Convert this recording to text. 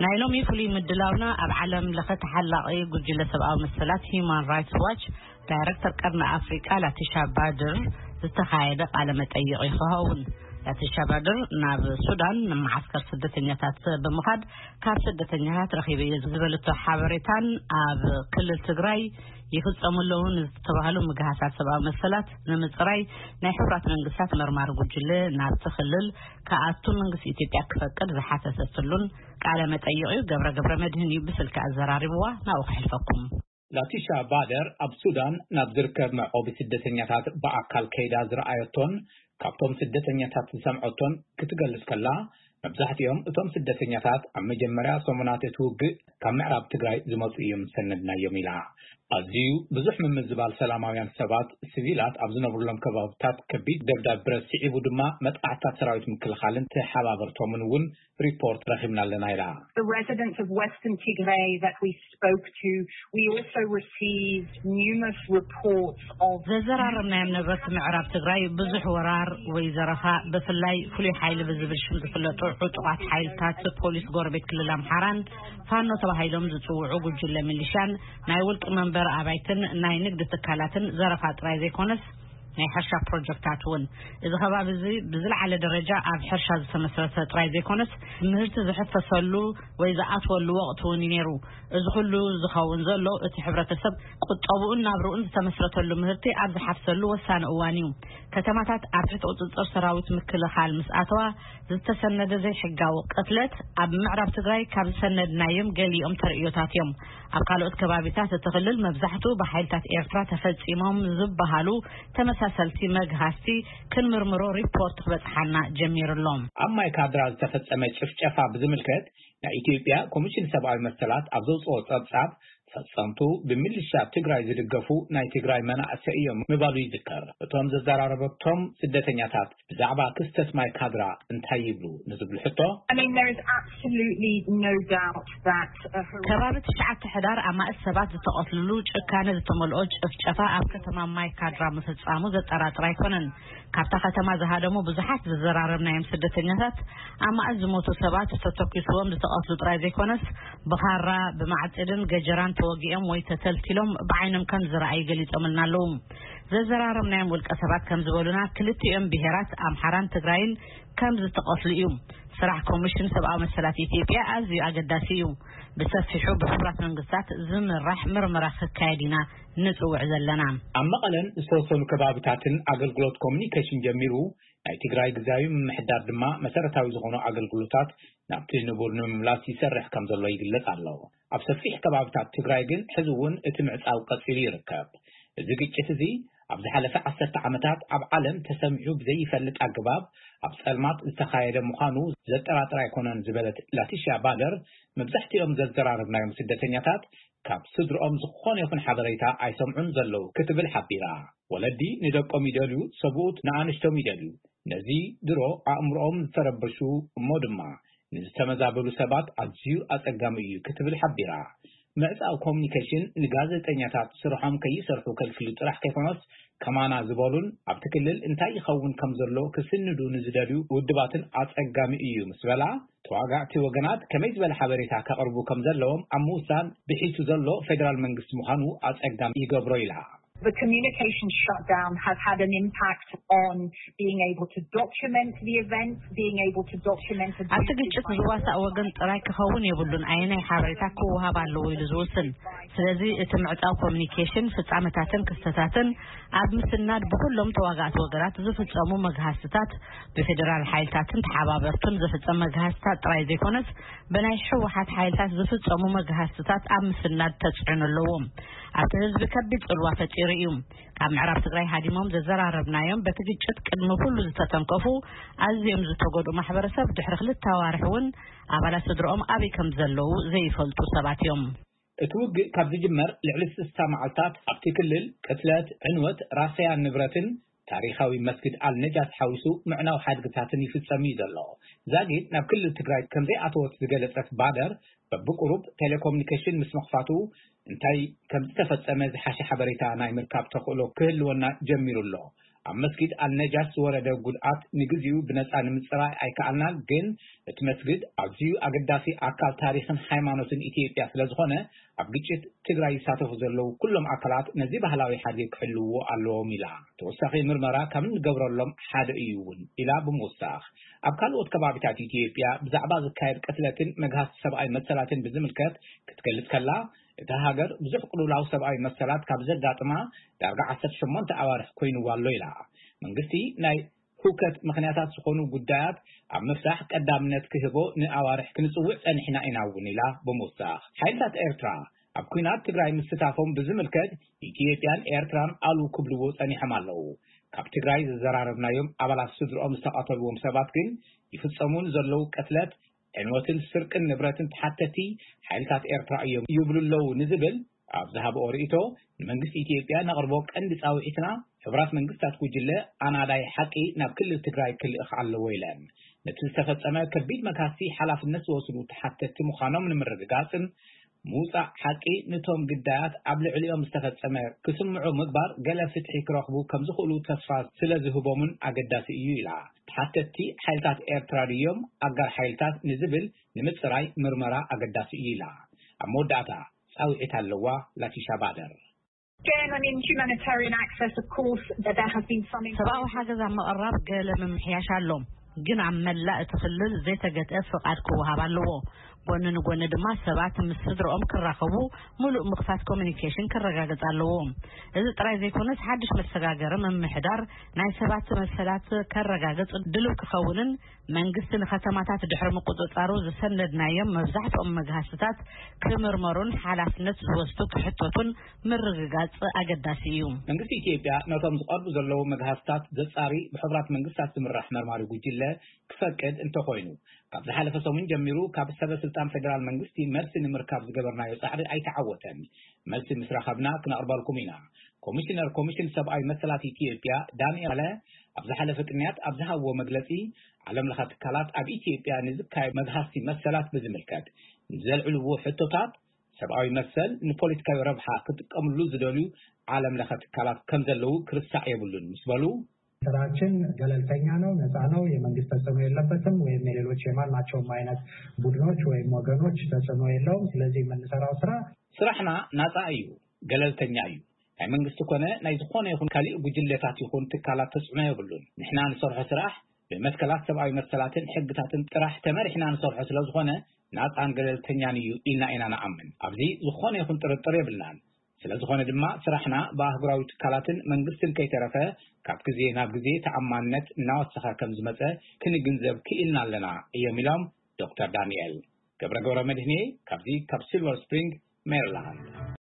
ናይ ሎሚ ፍሉይ ምድላውና ኣብ ዓለም ለኸ ተሓላቒ ጉጅለ ሰብኣዊ መሰላት ሂዩማን ራይትስ ዋች ዳይረክተር ቀርኒ ኣፍሪቃ ላቲሻ ባድር ዝተኻየደ ቃለ መጠይቕ ይኸውን። ላቲሻ ባድር ናብ ሱዳን ንመዓስከር ስደተኛታት ብምኻድ ካብ ስደተኛታት ረኺበዮ ዝበለቶ ሓበሬታን ኣብ ክልል ትግራይ ይፍጸሙ ኣለዉ ንዝተባህሉ ምግሃሳት ሰብኣዊ መሰላት ንምጽራይ ናይ ሕቡራት መንግስታት መርማሪ ጉጅለ ናብቲ ክልል ክኣቱ መንግስቲ ኢትዮጵያ ክፈቅድ ዝሓተተትሉን ቃለ መጠይቕ እዩ። ገብረ ገብረ መድህን እዩ ብስልኪ ኣዘራሪብዋ። ናብኡ ከሕልፈኩም። ላቲሻ ባደር ኣብ ሱዳን ናብ ዝርከብ መዕቆቢ ስደተኛታት ብኣካል ከይዳ ዝረኣየቶን ካብቶም ስደተኛታት ዝሰምዐቶን ክትገልጽ ከላ፣ መብዛሕትኦም እቶም ስደተኛታት ኣብ መጀመርያ ሰሙናት እቲ ውግእ ካብ ምዕራብ ትግራይ ዝመጹ እዮም ዝሰነድናዮም ኢላ። ኣዝዩ ብዙሕ ምምዝባል ሰላማውያን ሰባት፣ ሲቪላት ኣብ ዝነብሩሎም ከባብታት ከቢድ ደብዳብ ብረት ስዒቡ ድማ መጥቃዕትታት ሰራዊት ምክልኻልን ተሓባበርቶምን እውን ሪፖርት ረኺብና ኣለና ኢላ። The residents of Western Tigray that we spoke to, we also received numerous reports of ዘዘራረብናዮም ነበርቲ ምዕራብ ትግራይ ብዙሕ ወራር ወይ ዘረፋ ብፍላይ ፍሉይ ሓይሊ ብዝብል ሽም ዝፍለጡ ዕጡቓት ሓይልታት ፖሊስ ጎረቤት ክልል ኣምሓራን ፋኖ ተባሂሎም ዝጽውዑ ጉጅለ ሚሊሻን ናይ ውልቂ መንበር ኣባይትን ናይ ንግዲ ትካላትን ዘረፋ ጥራይ ዘይኮነስ ናይ ሕርሻ ፕሮጀክታት እውን። እዚ ከባቢ እዚ ብዝለዓለ ደረጃ ኣብ ሕርሻ ዝተመስረተ ጥራይ ዘይኮነስ ምህርቲ ዝሕፈሰሉ ወይ ዝኣትወሉ ወቕቲ እውን እዩ ነይሩ። እዚ ኩሉ ዝኸውን ዘሎ እቲ ሕብረተሰብ ቁጠብኡን ናብርኡን ዝተመስረተሉ ምህርቲ ኣብ ዝሓፍሰሉ ወሳኒ እዋን እዩ። ከተማታት ኣብ ትሕቲ ቁፅፅር ሰራዊት ምክልኻል ምስ ኣተዋ ዝተሰነደ ዘይሕጋዊ ቅትለት ኣብ ምዕራብ ትግራይ ካብ ዝሰነድናዮም ገሊኦም ተርእዮታት እዮም። ኣብ ካልኦት ከባቢታት እቲ ክልል መብዛሕትኡ ብሓይልታት ኤርትራ ተፈጺሞም ዝበሃሉ ተመሳሰልቲ መግሃስቲ ክንምርምሮ ሪፖርት ክበጽሓና ጀሚሩ ኣሎ። ኣብ ማይ ካድራ ዝተፈጸመ ጭፍጨፋ ብዝምልከት ናይ ኢትዮጵያ ኮሚሽን ሰብኣዊ መሰላት ኣብ ዘውፅኦ ጸብጻብ ፈጸምቱ ብምልሻ ትግራይ ዝድገፉ ናይ ትግራይ መናእሰይ እዮም ምባሉ ይዝከር። እቶም ዘዘራረበቶም ስደተኛታት ብዛዕባ ክስተት ማይ ካድራ እንታይ ይብሉ ንዝብሉ ሕቶ? I mean, there is absolutely no doubt that a ከባቢ ትሽዓተ ሕዳር ኣማእት ሰባት ዝተቐትልሉ ጭካነ ዝተመልኦ ጭፍጨፋ ኣብ ከተማ ማይ ካድራ ምፍጻሙ ዘጠራጥር ኣይኮነን። ካብታ ከተማ ዝሃደሙ ብዙሓት ዘዘራረብናዮም ስደተኛታት ኣማእት ዝሞቱ ሰባት ተተኪስዎም ዝተቐትሉ ጥራይ ዘይኮነስ ብኻራ ብማዕጽድን ገጀራን ተወጊኦም ወይ ተተልቲሎም ብዓይኖም ከም ዝረኣዩ ገሊጾምልና ኣለዉ። ዘዘራረብናዮም ውልቀ ሰባት ከም ዝበሉና ክልቲኦም ብሄራት ኣምሓራን ትግራይን ከም ዝተቐትሉ እዩ። ስራሕ ኮሚሽን ሰብኣዊ መሰላት ኢትዮጵያ ኣዝዩ ኣገዳሲ እዩ። ብሰፊሑ ብሕቡራት መንግስታት ዝምራሕ ምርመራ ክካየድ ኢና ንጽውዕ ዘለና። ኣብ መቐለን ዝተወሰኑ ከባቢታትን ኣገልግሎት ኮሚኒኬሽን ጀሚሩ፣ ናይ ትግራይ ግዝያዊ ምምሕዳር ድማ መሰረታዊ ዝኾኑ ኣገልግሎታት ናብቲ ንቡር ንምምላስ ይሰርሕ ከም ዘሎ ይግለጽ ኣሎ። ኣብ ሰፊሕ ከባቢታት ትግራይ ግን ሕዚ እውን እቲ ምዕጻው ቀጺሉ ይርከብ። እዚ ግጭት እዚ ኣብ ዝሓለፈ ዓሰርተ ዓመታት ኣብ ዓለም ተሰሚዑ ብዘይፈልጥ ኣገባብ ኣብ ጸልማት ዝተኻየደ ምዃኑ ዘጠራጥር ኣይኮነን ዝበለት ላቲሽያ ባደር፣ መብዛሕትኦም ዘዘራረብናዮም ስደተኛታት ካብ ስድርኦም ዝኾነ ይኹን ሓበሬታ ኣይሰምዑን ዘለዉ ክትብል ሓቢራ። ወለዲ ንደቆም ይደልዩ፣ ሰብኡት ንኣንሽቶም ይደልዩ። ነዚ ድሮ ኣእምሮኦም ዝተረበሹ እሞ ድማ ንዝተመዛበሉ ሰባት ኣዝዩ ኣጸጋሚ እዩ ክትብል ሓቢራ። ምዕጻው ኮሚኒኬሽን ንጋዜጠኛታት ስርሖም ከይሰርሑ ከልኪሉ ጥራሕ ከይኮነስ፣ ከማና ዝበሉን ኣብቲ ክልል እንታይ ይኸውን ከም ዘሎ ክስንዱ ንዝደልዩ ውድባትን ኣጸጋሚ እዩ ምስ በላ፣ ተዋጋእቲ ወገናት ከመይ ዝበለ ሓበሬታ ከቕርቡ ከም ዘለዎም ኣብ ምውሳን ብሒቱ ዘሎ ፌደራል መንግስቲ ምዃኑ ኣጸጋሚ ይገብሮ ኢላ። The communication shutdown has had an impact on being able to document the events, being able to document the ኣብቲ ግጭት ዝዋሳእ ወገን ጥራይ ክኸውን የብሉን ኣየናይ ሓበሬታ ክወሃብ ኣለዎ ኢሉ ዝውስን። ስለዚ እቲ ምዕጻው ኮሚኒኬሽን ፍጻመታትን ክስተታትን ኣብ ምስናድ ብኩሎም ተዋጋእቲ ወገናት ዝፍጸሙ መግሃስትታት ብፌደራል ሓይልታትን ተሓባበርቱን ዝፍጸም መግሃስትታት ጥራይ ዘይኮነስ ብናይ ህወሓት ሓይልታት ዝፍጸሙ መግሃስትታት ኣብ ምስናድ ተጽዕኖ ኣለዎም። ኣብቲ ህዝቢ ከቢድ ጽልዋ ፈጢሩ እዩ። ካብ ምዕራብ ትግራይ ሃዲሞም ዘዘራረብናዮም በቲ ግጭት ቅድሚ ኩሉ ዝተተንከፉ ኣዝዮም ዝተጎድኡ ማሕበረሰብ ድሕሪ ክልተ ኣዋርሕ እውን ኣባላት ስድርኦም ኣበይ ከም ዘለዉ ዘይፈልጡ ሰባት እዮም። እቲ ውግእ ካብ ዝጅመር ልዕሊ ስሳ መዓልታት ኣብቲ ክልል ቅትለት፣ ዕንወት፣ ራሰያን ንብረትን ታሪኻዊ መስጊድ ኣልነጃት ሓዊሱ ምዕናው ሓድግታትን ይፍጸም እዩ ዘሎ። ዛጊድ ናብ ክልል ትግራይ ከም ዘይኣተወት ዝገለጸት ባደር፣ በብቁሩብ ቴሌኮሙኒኬሽን ምስ ምኽፋቱ እንታይ ከም ዝተፈጸመ ዝሓሸ ሓበሬታ ናይ ምርካብ ተኽእሎ ክህልወና ጀሚሩ ኣሎ። ኣብ መስጊድ ኣልነጃሽ ዝወረደ ጉድኣት ንግዚኡ ብነጻ ንምጽራይ ኣይከኣልናን፣ ግን እቲ መስጊድ ኣዝዩ ኣገዳሲ ኣካል ታሪኽን ሃይማኖትን ኢትዮጵያ ስለ ዝኾነ፣ ኣብ ግጭት ትግራይ ይሳተፉ ዘለዉ ኩሎም ኣካላት ነዚ ባህላዊ ሓድጊ ክሕልውዎ ኣለዎም ኢላ። ተወሳኺ ምርመራ ካብ እንገብረሎም ሓደ እዩ እውን ኢላ ብምውሳኽ፣ ኣብ ካልኦት ከባቢታት ኢትዮጵያ ብዛዕባ ዝካየድ ቅትለትን መግሃስ ሰብኣዊ መሰላትን ብዝምልከት ክትገልጽ ከላ፣ እታ ሃገር ብዙሕ ቅልውላው ሰብኣዊ መሰላት ካብ ዘጋጥማ ዳርጋ ዓሰርተ ሸሞንተ ኣዋርሕ ኮይንዋ ኣሎ ኢላ። መንግስቲ ናይ ህውከት ምኽንያታት ዝኾኑ ጉዳያት ኣብ ምፍታሕ ቀዳምነት ክህቦ ንኣዋርሕ ክንጽውዕ ጸኒሕና ኢና እውን ኢላ ብምውሳኽ፣ ሓይልታት ኤርትራ ኣብ ኲናት ትግራይ ምስታፎም ብዝምልከት ኢትዮጵያን ኤርትራን ኣሉ ክብልዎ ጸኒሖም ኣለዉ። ካብ ትግራይ ዘዘራረብናዮም ኣባላት ስድርኦም ዝተቐተልዎም ሰባት ግን ይፍጸሙ ንዘለዉ ቅትለት፣ ዕንወትን ስርቅን ንብረትን ተሓተቲ ሓይልታት ኤርትራ እዮም ይብሉ ኣለዉ ንዝብል ኣብ ዝሃብኦ ርእይቶ፣ ንመንግስቲ ኢትዮጵያ ነቕርቦ ቀንዲ ጻውዒትና፣ ሕቡራት መንግስታት ጉጅለ ኣናዳይ ሓቂ ናብ ክልል ትግራይ ክልእኽ ኣለዎ ኢለን። ነቲ ዝተፈጸመ ከቢድ መግሃስቲ ሓላፍነት ዝወስዱ ተሓተቲ ምዃኖም ንምርግጋጽን ምውጻእ ሓቂ ንቶም ግዳያት ኣብ ልዕሊኦም ዝተፈጸመ ክስምዑ ምግባር ገለ ፍትሒ ክረኽቡ ከም ዝኽእሉ ተስፋ ስለ ዝህቦምን ኣገዳሲ እዩ ኢላ። ተሓተቲ ሓይልታት ኤርትራ ድዮም ኣጋር ሓይልታት ንዝብል ንምጽራይ ምርመራ ኣገዳሲ እዩ ኢላ። ኣብ መወዳእታ ጻውዒት ኣለዋ ላቲሻ ባደር። Again, I mean, humanitarian access, of course, that there has been some ሰብኣዊ ሓገዝ ኣብ ምቕራብ ገለ ምምሕያሽ ኣሎ፣ ግን ኣብ መላእ እቲ ክልል ዘይተገትአ ፍቓድ ክወሃብ ኣለዎ። ጎኒ ንጎኒ ድማ ሰባት ምስ ስድርኦም ክራኸቡ ምሉእ ምኽፋት ኮሚኒኬሽን ክረጋገጽ ኣለዎ። እዚ ጥራይ ዘይኮነስ ሓድሽ መሰጋገሪ ምምሕዳር ናይ ሰባት መሰላት ከረጋግጽ ድልው ክኸውንን መንግስቲ ንከተማታት ድሕሪ ምቁጽጻሩ ዝሰነድናዮም መብዛሕትኦም መግሃስታት ክምርመሩን ሓላፍነት ዝወስዱ ክሕተቱን ምርግጋጽ ኣገዳሲ እዩ። መንግስቲ ኢትዮጵያ ነቶም ዝቐርቡ ዘለዉ መግሃስታት ዘጻሪ ብሕቡራት መንግስታት ዝምራሕ መርማሪ ጉጅለ ክፈቅድ እንተኾይኑ፣ ካብ ዝሓለፈ ሰሙን ጀሚሩ ካብ ሰበ ስልጣን ፌደራል መንግስቲ መልሲ ንምርካብ ዝገበርናዮ ጻዕሪ ኣይተዓወተን። መልሲ ምስ ረኸብና ክነቕርበልኩም ኢና። ኮሚሽነር ኮሚሽን ሰብኣዊ መሰላት ኢትዮጵያ ዳንኤል ኣብ ዝሓለፈ ቅንያት ኣብ ዝሃብዎ መግለጺ፣ ዓለም ለኸ ትካላት ኣብ ኢትዮጵያ ንዝካየድ መግሃስቲ መሰላት ብዝምልከት ንዘልዕልዎ ሕቶታት፣ ሰብኣዊ መሰል ንፖለቲካዊ ረብሓ ክጥቀምሉ ዝደልዩ ዓለም ለኸ ትካላት ከም ዘለዉ ክርሳዕ የብሉን ምስ በሉ፣ ስራችን ገለልተኛ ነው፣ ነፃ ነው፣ የመንግስት ተጽዕኖ የለበትም ወይም የሌሎች የማናቸውም አይነት ቡድኖች ወይም ወገኖች ተጽዕኖ የለውም። ስለዚህ የምንሰራው ስራ ስራሕና ናጻ እዩ፣ ገለልተኛ እዩ። ናይ መንግስቲ ኮነ ናይ ዝኾነ ይኹን ካሊእ ጉጅለታት ይኹን ትካላት ተጽዕኖ የብሉን። ንሕና ንሰርሖ ስራሕ ብመትከላት ሰብኣዊ መሰላትን ሕግታትን ጥራሕ ተመሪሕና ንሰርሖ ስለ ዝኾነ ናጻን ገለልተኛን እዩ ኢልና ኢና ንኣምን። ኣብዚ ዝኾነ ይኹን ጥርጥር የብልናን። ስለ ዝኾነ ድማ ስራሕና ብኣህጉራዊ ትካላትን መንግስትን ከይተረፈ ካብ ግዜ ናብ ግዜ ተኣማንነት እናወሰኸ ከም ዝመጸ ክንግንዘብ ክኢልና ኣለና እዮም ኢሎም ዶክተር ዳንኤል። ገብረ ገብረ መድህኔ ካብዚ ካብ ሲልቨር ስፕሪንግ ሜሪላንድ።